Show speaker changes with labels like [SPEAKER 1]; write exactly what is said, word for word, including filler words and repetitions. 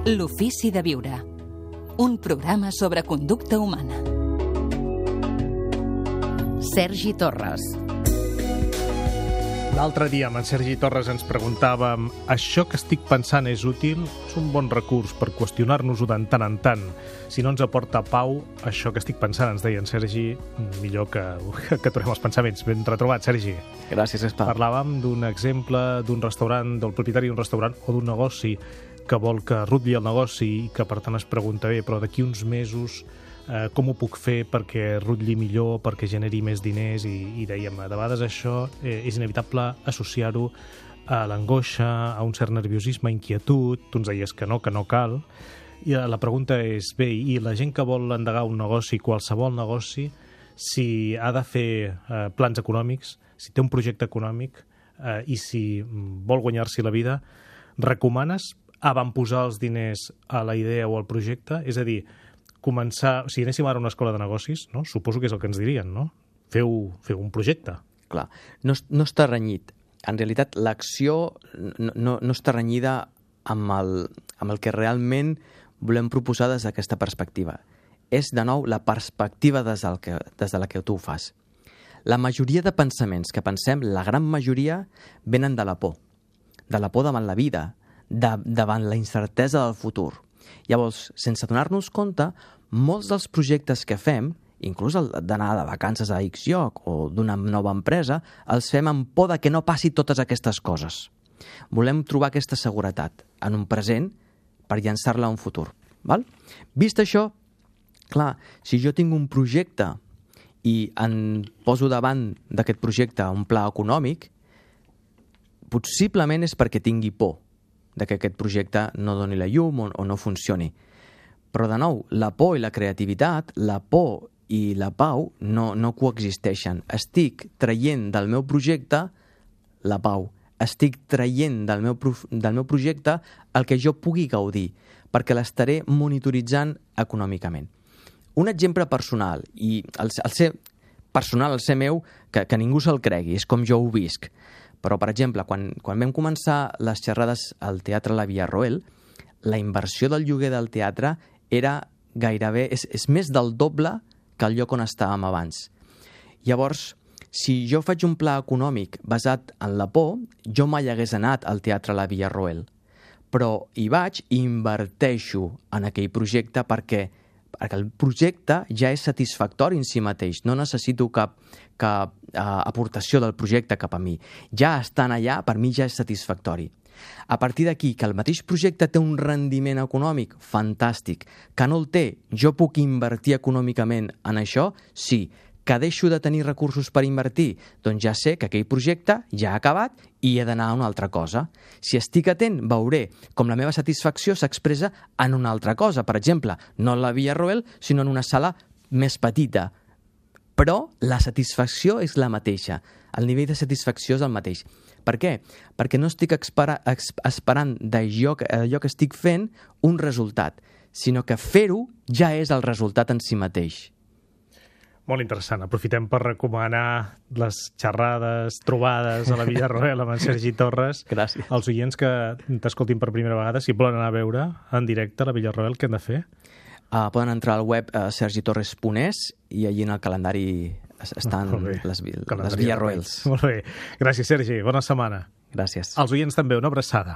[SPEAKER 1] L'ofici de viure. Un programa sobre conducta humana.
[SPEAKER 2] Sergi Torres.
[SPEAKER 3] L'altre dia amb en Sergi Torres ens preguntàvem: això que estic pensant és útil? És un bon recurs per qüestionar-nos-ho de tant en tant. Si no ens aporta pau, això que estic pensant, ens deia en Sergi, millor que, que aturem els pensaments. Ben retrobat, Sergi.
[SPEAKER 4] Gràcies, Espa.
[SPEAKER 3] Parlàvem d'un exemple d'un restaurant, del propietari d'un restaurant o d'un negoci que vol que rutlli el negoci i que per tant es pregunta, bé, però d'aquí uns mesos eh, com ho puc fer perquè rutlli millor, perquè generi més diners, i, i dèiem, de vegades això eh, és inevitable associar-ho a l'angoixa, a un cert nerviosisme, inquietud. Tu ens deies que no, que no cal. I la pregunta és, bé, i la gent que vol endegar un negoci, qualsevol negoci, si ha de fer eh, plans econòmics, si té un projecte econòmic eh, i si vol guanyar-s'hi la vida, recomanes avantposar els diners a la idea o al projecte? És a dir, començar... Si anéssim ara a una escola de negocis, no? Suposo que és el que ens dirien, no? Feu, feu un projecte.
[SPEAKER 4] Clar, no, no està renyit. En realitat, l'acció no, no, no està renyida amb el, amb el que realment volem proposar des d'aquesta perspectiva. És, de nou, la perspectiva des, del que, des de la que tu ho fas. La majoria de pensaments que pensem, la gran majoria, venen de la por. De la por davant la vida, de, davant la incertesa del futur. Llavors, sense donar-nos compte, molts dels projectes que fem, inclús el d'anar de vacances a X lloc o d'una nova empresa, els fem amb por de que no passi totes aquestes coses. Volem trobar aquesta seguretat en un present per llançar-la a un futur. Val? Vist això, clar, si jo tinc un projecte i en poso davant d'aquest projecte un pla econòmic, possiblement és perquè tingui por de que aquest projecte no doni la llum o, o no funcioni. Però, de nou, la por i la creativitat, la por i la pau no, no coexisteixen. Estic traient del meu projecte la pau. Estic traient del meu, del meu projecte el que jo pugui gaudir, perquè l'estaré monitoritzant econòmicament. Un exemple personal, i el, el ser personal, el ser meu, que, que ningú se'l cregui, és com jo ho visc. Però, per exemple, quan, quan vam començar les xerrades al Teatre La Villarroel, la inversió del lloguer del teatre era gairebé... És, és més del doble que el lloc on estàvem abans. Llavors, si jo faig un pla econòmic basat en la por, jo mai hagués anat al Teatre La Villarroel. Però hi vaig i inverteixo en aquell projecte perquè, perquè el projecte ja és satisfactori en si mateix. No necessito cap, cap uh, aportació del projecte cap a mi. Ja estan allà, per mi ja és satisfactori. A partir d'aquí, que el mateix projecte té un rendiment econòmic fantàstic, que no el té, jo puc invertir econòmicament en això? Sí. Que deixo de tenir recursos per invertir? Doncs ja sé que aquell projecte ja ha acabat i he d'anar a una altra cosa. Si estic atent, veuré com la meva satisfacció s'expressa en una altra cosa. Per exemple, no en la Villarroel, sinó en una sala més petita. Però la satisfacció és la mateixa. El nivell de satisfacció és el mateix. Per què? Perquè no estic espera, esperant d'allò que, allò que estic fent un resultat, sinó que fer-ho ja és el resultat en si mateix.
[SPEAKER 3] Molt interessant. Aprofitem per recomanar les xerrades, trobades a la Villarroel amb en Sergi Torres.
[SPEAKER 4] Gràcies.
[SPEAKER 3] Els oients que t'escoltin per primera vegada, si volen anar a veure en directe a la Villarroel, què han de fer?
[SPEAKER 4] Uh, poden entrar al web uh, sergi torres punt es i allí en el calendari estan les, les Villarroels.
[SPEAKER 3] Molt bé. Gràcies, Sergi. Bona setmana.
[SPEAKER 4] Gràcies.
[SPEAKER 3] Als oients també, una abraçada.